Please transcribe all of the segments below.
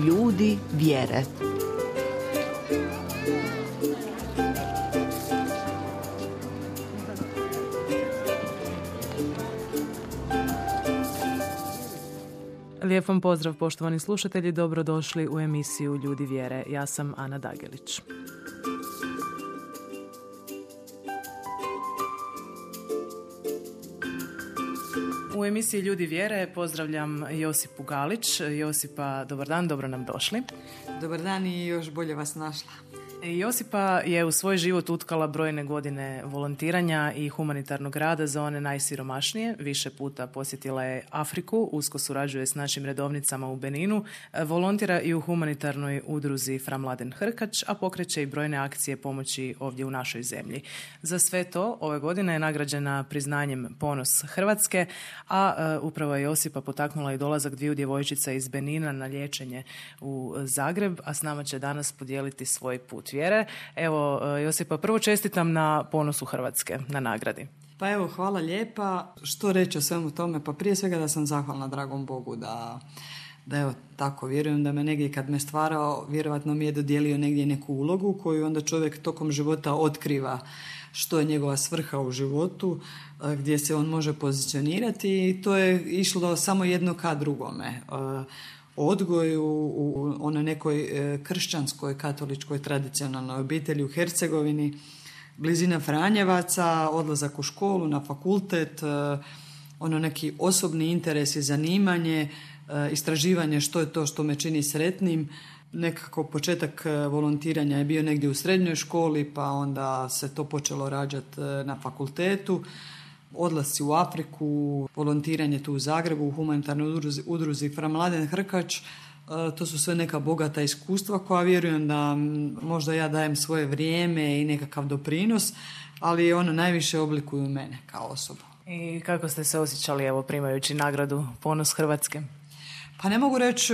Ljudi vjere. Lijep vam pozdrav, poštovani slušatelji, dobrodošli u emisiju Ljudi vjere. Ja sam Ana Dagelić. U emisiji Ljudi vjere pozdravljam Josipu Galić. Josipa, dobar dan, dobro nam došli. Dobar dan i još bolje vas našla. Josipa je u svoj život utkala brojne godine volontiranja i humanitarnog rada za one najsiromašnije. Više puta posjetila je Afriku, usko surađuje s našim redovnicama u Beninu, volontira i u humanitarnoj udruzi Fra Mladen Hrkač, a pokreće i brojne akcije pomoći ovdje u našoj zemlji. Za sve to ove godine je nagrađena priznanjem Ponos Hrvatske, a upravo je Josipa potaknula i dolazak dviju djevojčica iz Benina na liječenje u Zagreb, a s nama će danas podijeliti svoj put vjere. Evo, Josipa, prvo čestitam na Ponosu Hrvatske, na nagradi. Pa evo, hvala lijepa. Što reći o svemu tome? Pa prije svega da sam zahvalna dragom Bogu da evo tako, vjerujem da me negdje kad me stvarao, vjerovatno mi je dodijelio negdje neku ulogu koju onda čovjek tokom života otkriva što je njegova svrha u životu, gdje se on može pozicionirati i to je išlo samo jedno ka drugome. Odgoj u onoj nekoj kršćanskoj, katoličkoj, tradicionalnoj obitelji u Hercegovini, blizina Franjevaca, odlazak u školu, na fakultet, neki osobni interes i zanimanje, istraživanje što je to što me čini sretnim. Nekako početak volontiranja je bio negdje u srednjoj školi, pa onda se to počelo rađati na fakultetu. Odlasci u Afriku, volontiranje tu u Zagrebu, u humanitarnoj udruzi Fra Mladen Hrkač, to su sve neka bogata iskustva koja vjerujem da možda ja dajem svoje vrijeme i nekakav doprinos, ali ono najviše oblikuju mene kao osobu. I kako ste se osjećali, evo, primajući nagradu Ponos Hrvatske? Pa ne mogu reći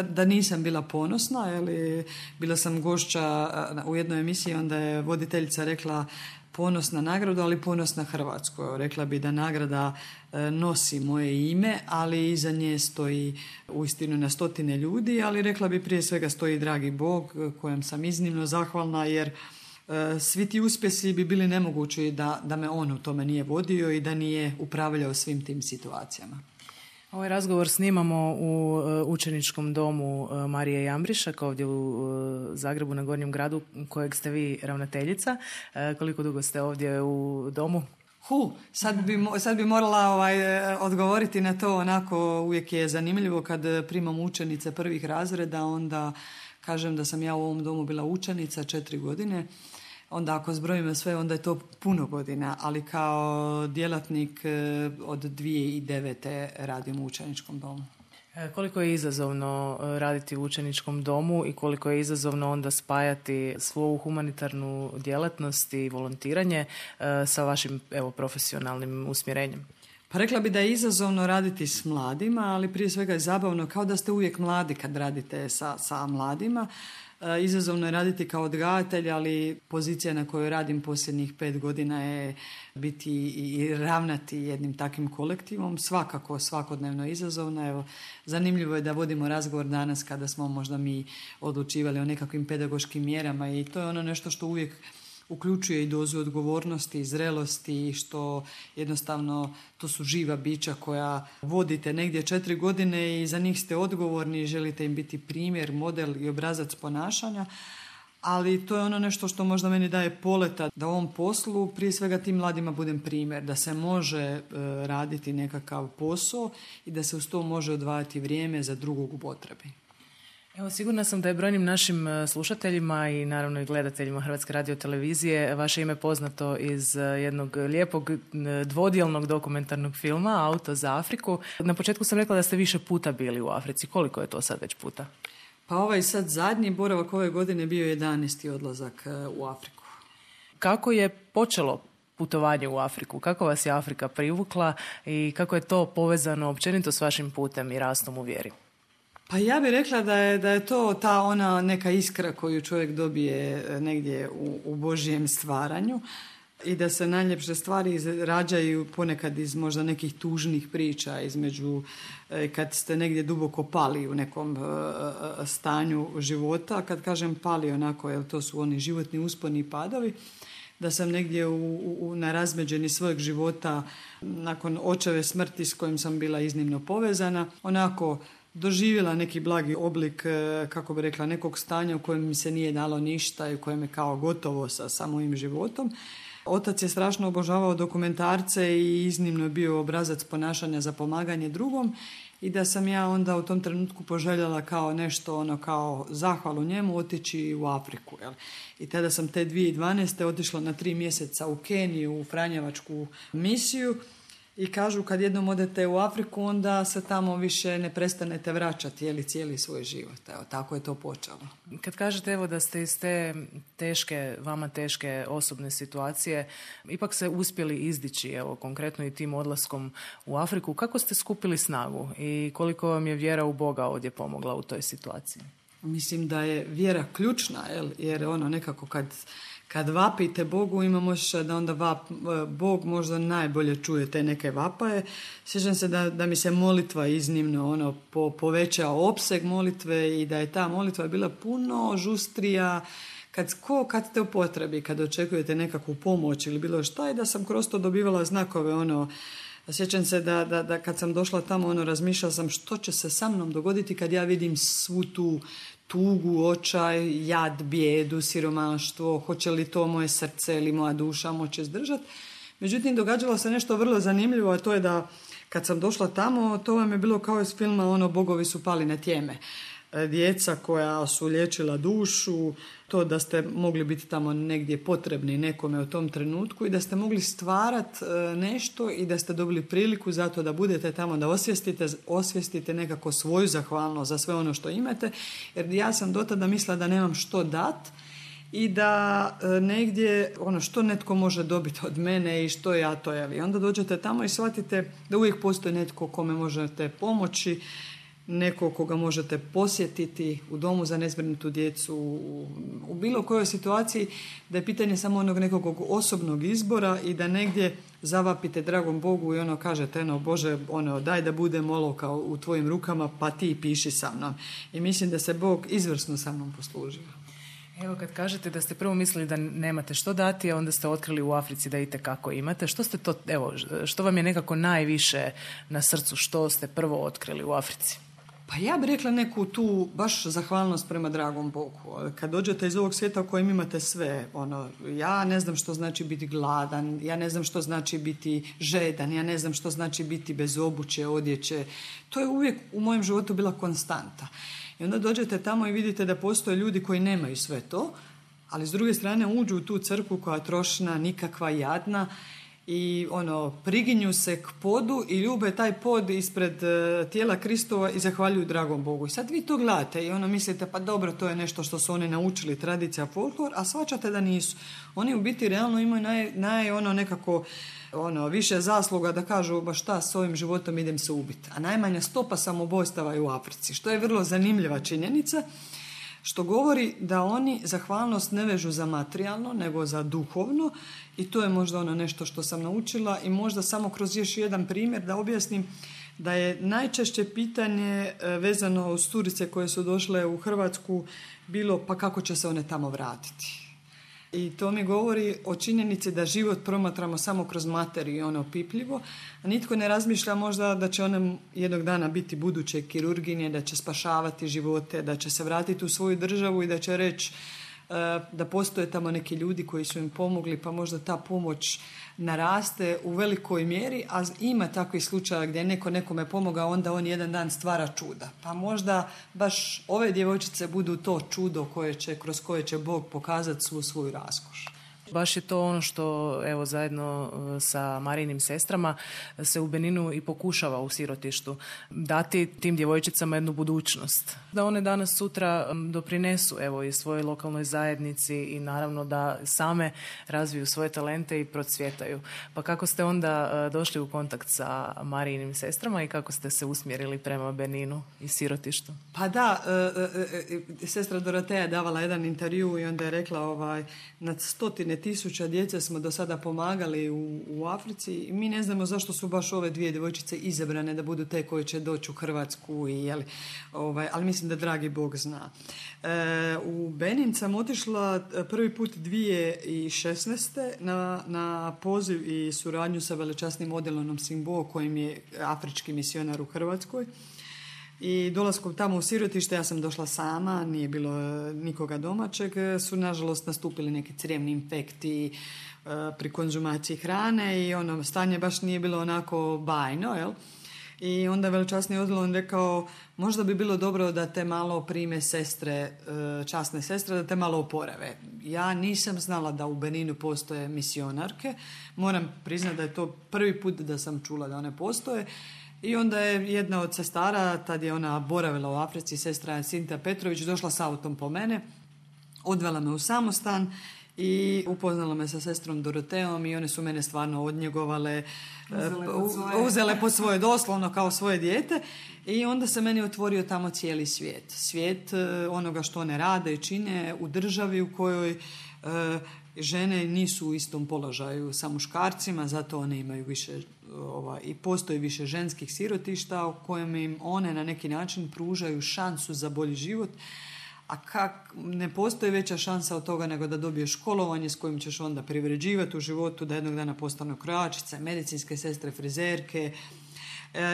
da nisam bila ponosna, ali bila sam gošća u jednoj emisiji, onda je voditeljica rekla ponos na nagradu, ali ponos na Hrvatsku. Rekla bi da nagrada nosi moje ime, ali iza nje stoji uistinu na stotine ljudi, ali rekla bi prije svega stoji dragi Bog, kojem sam iznimno zahvalna, jer svi ti uspjesi bi bili nemogući da me on u tome nije vodio i da nije upravljao svim tim situacijama. Ovaj razgovor snimamo u učeničkom domu Marije Jambrišak ovdje u Zagrebu na Gornjem gradu, kojeg ste vi ravnateljica. Koliko dugo ste ovdje u domu? Sad bi morala odgovoriti na to, onako uvijek je zanimljivo kad primam učenice prvih razreda, onda kažem da sam ja u ovom domu bila učenica 4 godine. Onda ako zbrojimo sve, onda je to puno godina, ali kao djelatnik od 2009. radim u učeničkom domu. Koliko je izazovno raditi u učeničkom domu i koliko je izazovno onda spajati svoju humanitarnu djelatnost i volontiranje sa vašim profesionalnim usmjerenjem? Pa rekla bi da je izazovno raditi s mladima, ali prije svega je zabavno, kao da ste uvijek mladi kad radite sa mladima. Izazovno je raditi kao odgajatelj, ali pozicija na kojoj radim posljednjih 5 godina je biti i ravnati jednim takvim kolektivom. Svakako, svakodnevno izazovno. Evo, zanimljivo je da vodimo razgovor danas kada smo možda mi odlučivali o nekakvim pedagoškim mjerama i to je ono nešto što uvijek uključuje i dozu odgovornosti i zrelosti, što jednostavno to su živa bića koja vodite negdje 4 godine i za njih ste odgovorni i želite im biti primjer, model i obrazac ponašanja. Ali to je ono nešto što možda meni daje poleta da u ovom poslu prije svega tim mladima budem primjer, da se može raditi nekakav posao i da se uz to može odvajati vrijeme za drugog u potrebi. Evo, sigurna sam da je brojnim našim slušateljima i naravno i gledateljima Hrvatske radiotelevizije vaše ime poznato iz jednog lijepog dvodjelnog dokumentarnog filma Auto za Afriku. Na početku sam rekla da ste više puta bili u Africi. Koliko je to sad već puta? Pa sad zadnji boravak ove godine bio 11. odlazak u Afriku. Kako je počelo putovanje u Afriku? Kako vas je Afrika privukla i kako je to povezano općenito s vašim putem i rastom u vjeri? Pa ja bih rekla da je to ta ona neka iskra koju čovjek dobije negdje u Božjem stvaranju. i da se najljepše stvari rađaju ponekad iz možda nekih tužnih priča, između kad ste negdje duboko pali u nekom stanju života. Kad kažem pali onako, jer to su oni životni usponi i padovi, da sam negdje na razmeđeni svojeg života nakon očeve smrti s kojim sam bila iznimno povezana, onako doživjela neki blagi oblik, kako bi rekla, nekog stanja u kojem mi se nije dalo ništa i u kojem je kao gotovo sa mojim životom. Otac je strašno obožavao dokumentarce i iznimno je bio obrazac ponašanja za pomaganje drugom i da sam ja onda u tom trenutku poželjela kao nešto, kao zahvalu njemu otići u Afriku. Jel? I tada sam te 2012. otišla na 3 mjeseca u Keniju, u Franjevačku misiju. I kažu kad jednom odete u Afriku, onda se tamo više ne prestanete vraćati cijeli svoj život. Evo, tako je to počelo. Kad kažete evo da ste iz te vama teške osobne situacije, ipak se uspjeli izdići, evo konkretno i tim odlaskom u Afriku, kako ste skupili snagu i koliko vam je vjera u Boga ovdje pomogla u toj situaciji? Mislim da je vjera ključna, jer nekako kad vapite Bogu, imam osjećaj da onda Bog možda najbolje čuje te neke vapaje. Sjećam se da mi se molitva iznimno povećao opseg molitve i da je ta molitva bila puno žustrija kad ste u potrebi, kad očekujete nekakvu pomoć ili bilo šta, i da sam kroz to dobivala znakove. Sjećam se da kad sam došla tamo, razmišljala sam što će se sa mnom dogoditi kad ja vidim svu tu tugu, očaj, jad, bijedu, siromaštvo, hoće li to moje srce ili moja duša moći izdržati. Međutim, događalo se nešto vrlo zanimljivo, a to je da kad sam došla tamo, to vam je bilo kao iz filma Bogovi su pali na tjeme. Djeca koja su liječila dušu, to da ste mogli biti tamo negdje potrebni nekome u tom trenutku i da ste mogli stvarati nešto i da ste dobili priliku za to da budete tamo, da osvijestite nekako svoju zahvalnost za sve ono što imate, jer ja sam do tada mislila da nemam što dat i da negdje što netko može dobiti od mene i što ja to je. I onda dođete tamo i shvatite da uvijek postoji netko kome možete pomoći, neko koga možete posjetiti u domu za nezbrinutu djecu, u bilo kojoj situaciji, da je pitanje samo onog nekog osobnog izbora i da negdje zavapite dragom Bogu i kažete, Bože, daj da budem olovka u tvojim rukama, pa ti piši sa mnom. I mislim da se Bog izvrsno sa mnom poslužio. Evo, kad kažete da ste prvo mislili da nemate što dati, a onda ste otkrili u Africi da itekako imate, što vam je nekako najviše na srcu, što ste prvo otkrili u Africi? Pa ja bih rekla neku tu baš zahvalnost prema dragom Bogu. Kad dođete iz ovog svijeta u kojem imate sve, ja ne znam što znači biti gladan, ja ne znam što znači biti žedan, ja ne znam što znači biti bez obuće, odjeće. To je uvijek u mojem životu bila konstanta. I onda dođete tamo i vidite da postoje ljudi koji nemaju sve to, ali s druge strane uđu u tu crkvu koja je trošna, nikakva, jadna, i priginju se k podu i ljube taj pod ispred tijela Kristova i zahvaljuju dragom Bogu. I sad vi to gledate i mislite, pa dobro, to je nešto što su oni naučili, tradicija, folklor, a shvaćate da nisu. Oni u biti realno imaju nekako više zasluga da kažu, ba šta, s ovim životom idem se ubiti. A najmanja stopa samobojstava je u Africi, što je vrlo zanimljiva činjenica, što govori da oni zahvalnost ne vežu za materijalno, nego za duhovno, i to je možda nešto što sam naučila. I možda samo kroz još jedan primjer da objasnim da je najčešće pitanje vezano uz turice koje su došle u Hrvatsku bilo, pa kako će se one tamo vratiti. I to mi govori o činjenici da život promatramo samo kroz materiju, opipljivo, a nitko ne razmišlja možda da će one jednog dana biti buduće kirurginje, da će spašavati živote, da će se vratiti u svoju državu i da će reći da postoje tamo neki ljudi koji su im pomogli, pa možda ta pomoć naraste u velikoj mjeri, a ima takvih slučaja gdje je neko nekome pomogao, onda on jedan dan stvara čuda. Pa možda baš ove djevojčice budu to čudo kroz koje će Bog pokazati svu svoju raskoš. Baš je to ono što, evo, zajedno sa Marijinim sestrama se u Beninu i pokušava u sirotištu dati tim djevojčicama jednu budućnost. Da one danas sutra doprinesu, evo, i svojoj lokalnoj zajednici i naravno da same razviju svoje talente i procvjetaju. Pa kako ste onda došli u kontakt sa Marijinim sestrama i kako ste se usmjerili prema Beninu i sirotištu? Pa da, sestra Doroteja je davala jedan intervju i onda je rekla na stotine tisuća djece smo do sada pomagali u Africi i mi ne znamo zašto su baš ove 2 djevojčice izabrane da budu te koje će doći u Hrvatsku, ali mislim da dragi Bog zna. U Benin sam otišla prvi put 2016. na poziv i suradnju sa velečasnim Odilonom Simbo, kojim je afrički misionar u Hrvatskoj. I dolaskom tamo u sirotište, ja sam došla sama, nije bilo nikoga domaćeg, su nažalost nastupili neki crijevni infekti pri konzumaciji hrane i stanje baš nije bilo onako bajno, jel? I onda velečasni Odilon rekao, možda bi bilo dobro da te malo prime sestre, časne sestre, da te malo oporave. Ja nisam znala da u Beninu postoje misionarke, moram priznati da je to prvi put da sam čula da one postoje. I onda je jedna od sestara, tad je ona boravila u Africi, sestra Sinta Petrović, došla s autom po mene, odvela me u samostan i upoznala me sa sestrom Doroteom i one su mene stvarno odnjegovale, uzele pod svoje, doslovno kao svoje dijete, i onda se meni otvorio tamo cijeli svijet. Svijet onoga što one rade i čine u državi u kojoj žene nisu u istom položaju sa muškarcima, zato one imaju više i postoji više ženskih sirotišta u kojem im one na neki način pružaju šansu za bolji život, a ne postoji veća šansa od toga nego da dobiješ školovanje s kojim ćeš onda privređivati u životu, da jednog dana postanu krojačice, medicinske sestre, frizerke.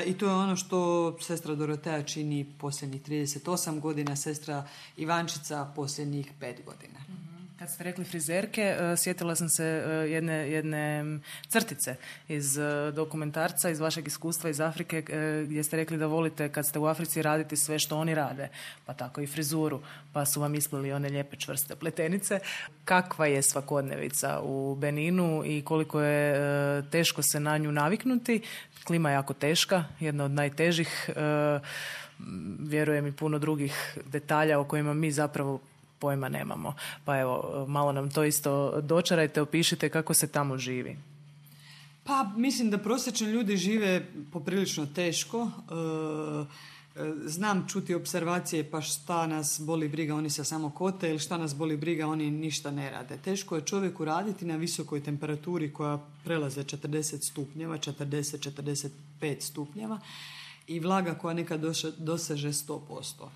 I to je ono što sestra Dorotea čini posljednjih 38 godina, sestra Ivančica posljednjih 5 godina. Kad ste rekli frizerke, sjetila sam se jedne crtice iz dokumentarca, iz vašeg iskustva iz Afrike, gdje ste rekli da volite kad ste u Africi raditi sve što oni rade, pa tako i frizuru, pa su vam isplili one lijepe čvrste pletenice. Kakva je svakodnevica u Beninu i koliko je teško se na nju naviknuti? Klima je jako teška, jedna od najtežih, vjerujem i puno drugih detalja o kojima mi zapravo pojma nemamo. Pa evo, malo nam to isto dočarajte, opišite kako se tamo živi. Pa mislim da prosječni ljudi žive poprilično teško. Znam čuti observacije, pa šta nas boli briga, oni se samo kote, ili šta nas boli briga, oni ništa ne rade. Teško je čovjeku raditi na visokoj temperaturi koja prelaze 40 stupnjeva, 40-45 stupnjeva i vlaga koja nekad doseže 100%.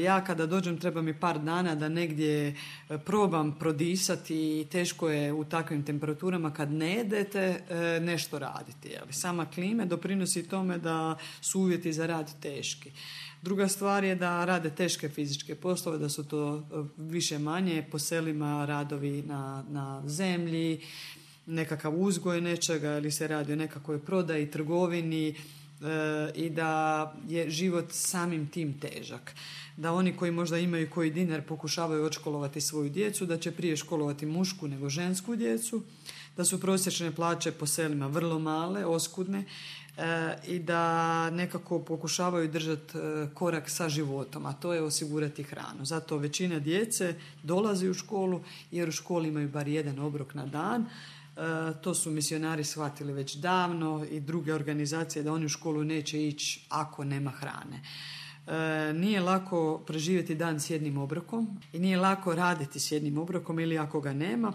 Ja kada dođem treba mi par dana da negdje probam prodisati i teško je u takvim temperaturama kad ne jedete nešto raditi. Ali sama klima doprinosi tome da su uvjeti za rad teški. Druga stvar je da rade teške fizičke poslove, da su to više manje po selima radovi na zemlji, nekakav uzgoj nečega ili se radi o nekakvoj prodaji, trgovini, i da je život samim tim težak. Da oni koji možda imaju koji dinar pokušavaju odškolovati svoju djecu, da će prije školovati mušku nego žensku djecu, da su prosječne plaće po selima vrlo male, oskudne, i da nekako pokušavaju držati korak sa životom, a to je osigurati hranu. Zato većina djece dolazi u školu jer u školi imaju bar jedan obrok na dan. To su misionari shvatili već davno i druge organizacije da oni u školu neće ići ako nema hrane. Nije lako preživjeti dan s jednim obrokom i nije lako raditi s jednim obrokom ili ako ga nema.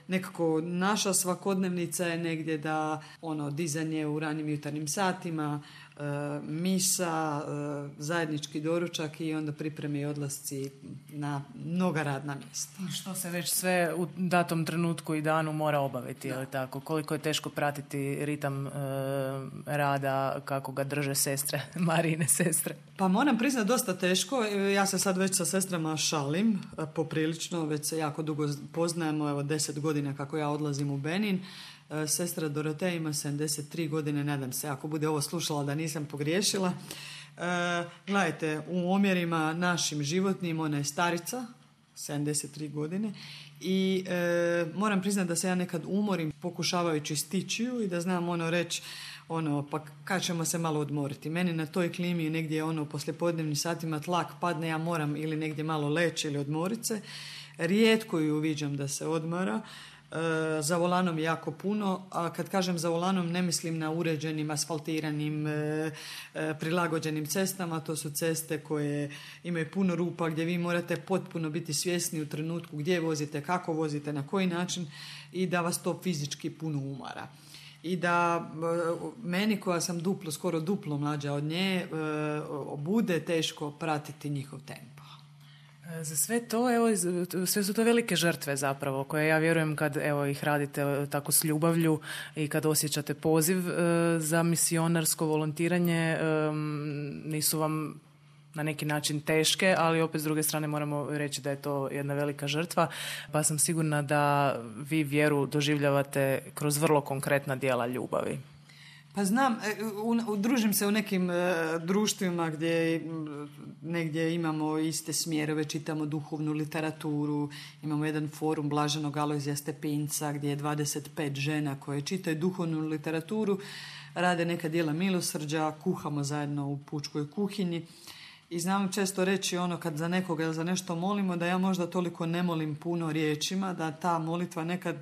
Nekako naša svakodnevnica je negdje da dizanje u ranim jutarnjim satima, misa, zajednički doručak i onda pripreme i odlasci na mnoga radna mjesta. Što se već sve u datom trenutku i danu mora obaviti, ili tako? Koliko je teško pratiti ritam rada, kako ga drže sestre, Marijine sestre? Pa moram priznati dosta teško. Ja se sad već sa sestrama šalim poprilično, već se jako dugo poznajemo, 10 godina kako ja odlazim u Benin. Sestra Dorotea ima 73 godine, nadam se ako bude ovo slušala da nisam pogriješila. Gledajte, u omjerima našim životnim ona je starica, 73 godine, i moram priznati da se ja nekad umorim pokušavajući stići ju i da znam reći pa kad ćemo se malo odmoriti. Meni na toj klimi negdje u poslijepodnevnim satima tlak padne, ja moram ili negdje malo leći ili odmoriti se. Rijetko ju uviđam da se odmara. za volanom jako puno, a kad kažem za volanom ne mislim na uređenim, asfaltiranim, prilagođenim cestama, to su ceste koje imaju puno rupa gdje vi morate potpuno biti svjesni u trenutku gdje vozite, kako vozite, na koji način i da vas to fizički puno umara. I da meni koja sam skoro duplo mlađa od nje, bude teško pratiti njihov tempo. Za sve to, sve su to velike žrtve zapravo, koje ja vjerujem kad ih radite tako s ljubavlju i kad osjećate poziv za misionarsko volontiranje, nisu vam na neki način teške, ali opet s druge strane moramo reći da je to jedna velika žrtva, pa sam sigurna da vi vjeru doživljavate kroz vrlo konkretna djela ljubavi. Pa znam, družim se u nekim društvima gdje negdje imamo iste smjerove, čitamo duhovnu literaturu, imamo jedan forum Blaženog Alojzija Stepinca gdje je 25 žena koje čitaju duhovnu literaturu, rade neka djela milosrđa, kuhamo zajedno u pučkoj kuhinji. I znam često reći kad za nekoga ili za nešto molimo, da ja možda toliko ne molim puno riječima, da ta molitva nekad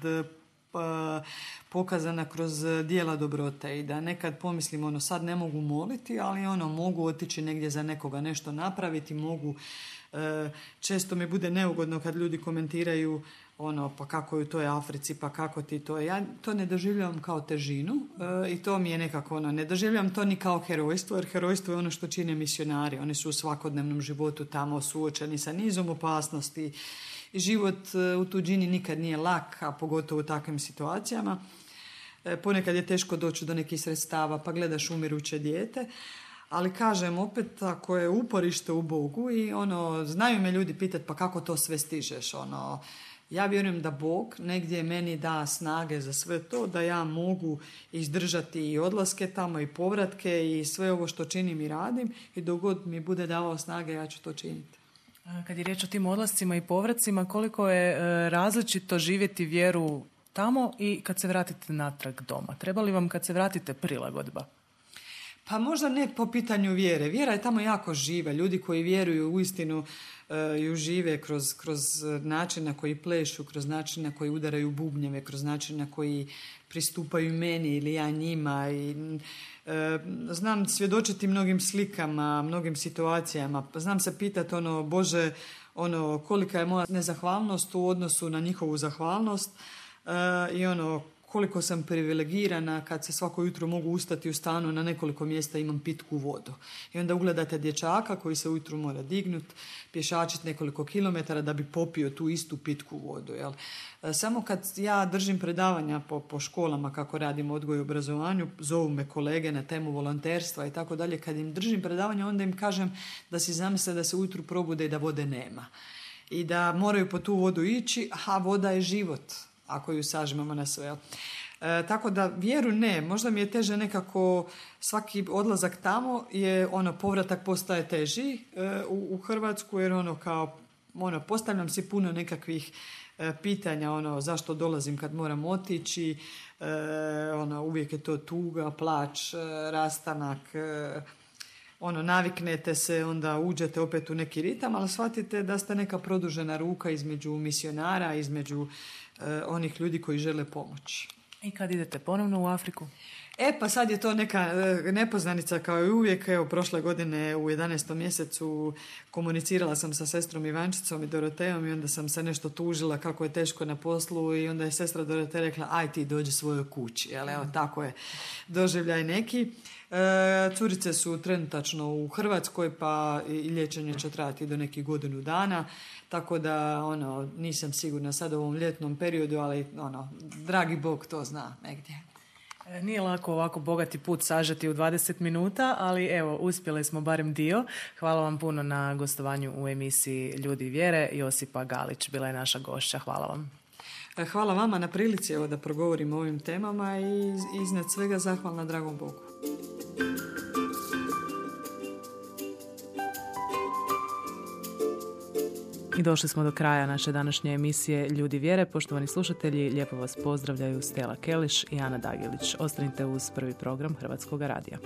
pokazana kroz djela dobrote i da nekad pomislim sad ne mogu moliti, ali mogu otići negdje za nekoga nešto napraviti, mogu, često mi bude neugodno kad ljudi komentiraju pa kako je u toj Africi, pa kako ti to. Ja to ne doživljavam kao težinu i to mi je nekako ne doživljavam to ni kao herojstvo, jer herojstvo je ono što čine misionari. Oni su u svakodnevnom životu tamo suočeni sa nizom opasnosti i život u tuđini nikad nije lak, a pogotovo u takvim situacijama. Ponekad je teško doći do nekih sredstava, pa gledaš umiruće dijete. Ali kažem, opet ako je uporište u Bogu i znaju me ljudi pitati pa kako to sve stižeš, ja vjerujem da Bog negdje meni da snage za sve to, da ja mogu izdržati i odlaske tamo i povratke i sve ovo što činim i radim i dok god mi bude davao snage ja ću to činiti. Kad je riječ o tim odlascima i povracima, koliko je različito živjeti vjeru tamo i kad se vratite natrag doma? Treba li vam kad se vratite prilagodba? Pa možda ne po pitanju vjere. Vjera je tamo jako živa. Ljudi koji vjeruju uistinu ju žive kroz način na koji plešu, kroz način na koji udaraju bubnjeve, kroz način na koji pristupaju meni ili ja njima. I, znam svjedočiti mnogim slikama, mnogim situacijama. Znam se pitati Bože, kolika je moja nezahvalnost u odnosu na njihovu zahvalnost i koliko sam privilegirana kad se svako jutro mogu ustati u stanu, na nekoliko mjesta imam pitku vodu. I onda ugledate dječaka koji se ujutro mora dignut, pješačiti nekoliko kilometara da bi popio tu istu pitku vodu. Jel? Samo kad ja držim predavanja po školama kako radim odgoj i obrazovanju, zovu me kolege na temu volonterstva i tako dalje, kad im držim predavanja onda im kažem da si zamisle da se ujutro probude i da vode nema. I da moraju po tu vodu ići, a voda je život ako ju sažmemo na sve. Tako da vjeru ne, možda mi je teže nekako svaki odlazak tamo je povratak postaje teži u Hrvatsku jer postavljam si puno nekakvih pitanja zašto dolazim kad moram otići, uvijek je to tuga, plač, rastanak, naviknete se, onda uđete opet u neki ritam, ali shvatite da ste neka produžena ruka između misionara, između onih ljudi koji žele pomoći. I kad idete ponovno u Afriku? Pa sad je to neka nepoznanica kao i uvijek. Prošle godine u 11. mjesecu komunicirala sam sa sestrom Ivančicom i Dorotejom i onda sam se nešto tužila kako je teško na poslu i onda je sestra Doroteja rekla aj ti dođi svojoj kući. Tako je doživljaj neki. Curice su trenutačno u Hrvatskoj pa i liječenje će trajati do nekih godinu dana. Tako da nisam sigurna sad u ovom ljetnom periodu, ali dragi Bog to zna negdje. Nije lako ovako bogati put sažeti u 20 minuta, ali evo, uspjeli smo barem dio. Hvala vam puno na gostovanju u emisiji Ljudi vjere. Josipa Galić bila je naša gošća. Hvala vam. Hvala vama na prilici da progovorim o ovim temama i iznad svega zahvalna dragom Bogu. I došli smo do kraja naše današnje emisije Ljudi vjere. Poštovani slušatelji, lijepo vas pozdravljaju Stela Keliš i Ana Dagilić. Ostanite uz prvi program Hrvatskog radija.